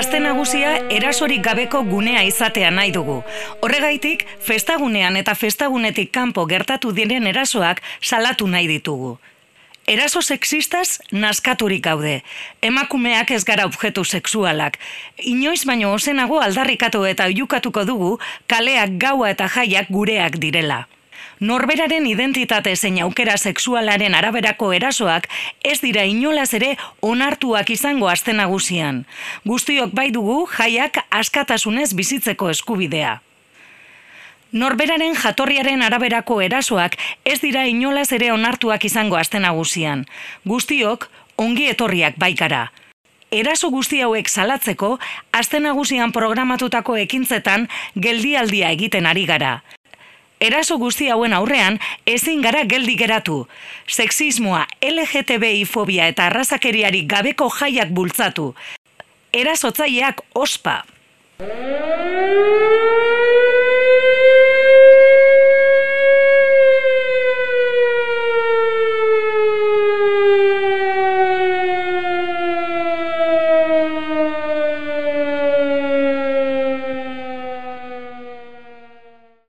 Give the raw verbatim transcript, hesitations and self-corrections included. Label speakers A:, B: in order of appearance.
A: Aste nagusia erasorik gabeko gunea izatea nahi dugu. Horregaitik, festagunean eta festagunetik kanpo gertatu diren erasoak salatu nahi ditugu. Eraso sexistaz naskaturik gaude. Emakumeak ez gara objektu sexualak. Inoiz baino ozenago aldarrikatu eta oihukatuko dugu kaleak, gaua eta jaiak gureak direla. Norberaren identitate zein aukera sexualaren araberako erasoak ez dira inolaz ere onartuak izango aste nagusian. Guztiok bai dugu jaiak askatasunez bizitzeko eskubidea. Norberaren jatorriaren araberako erasoak ez dira inolaz ere onartuak izango aste nagusian. Guztiok ongi etorriak baikara. Eraso guzti hauek salatzeko aste nagusian programatutako ekintzetan geldialdia egiten ari gara. Eraso guzti hauen aurrean ezin gara geldi geratu. Sexismoa, L G T B I fobia eta arrazakeriarik gabeko jaiak bultzatu. Erasotzaileak ospa.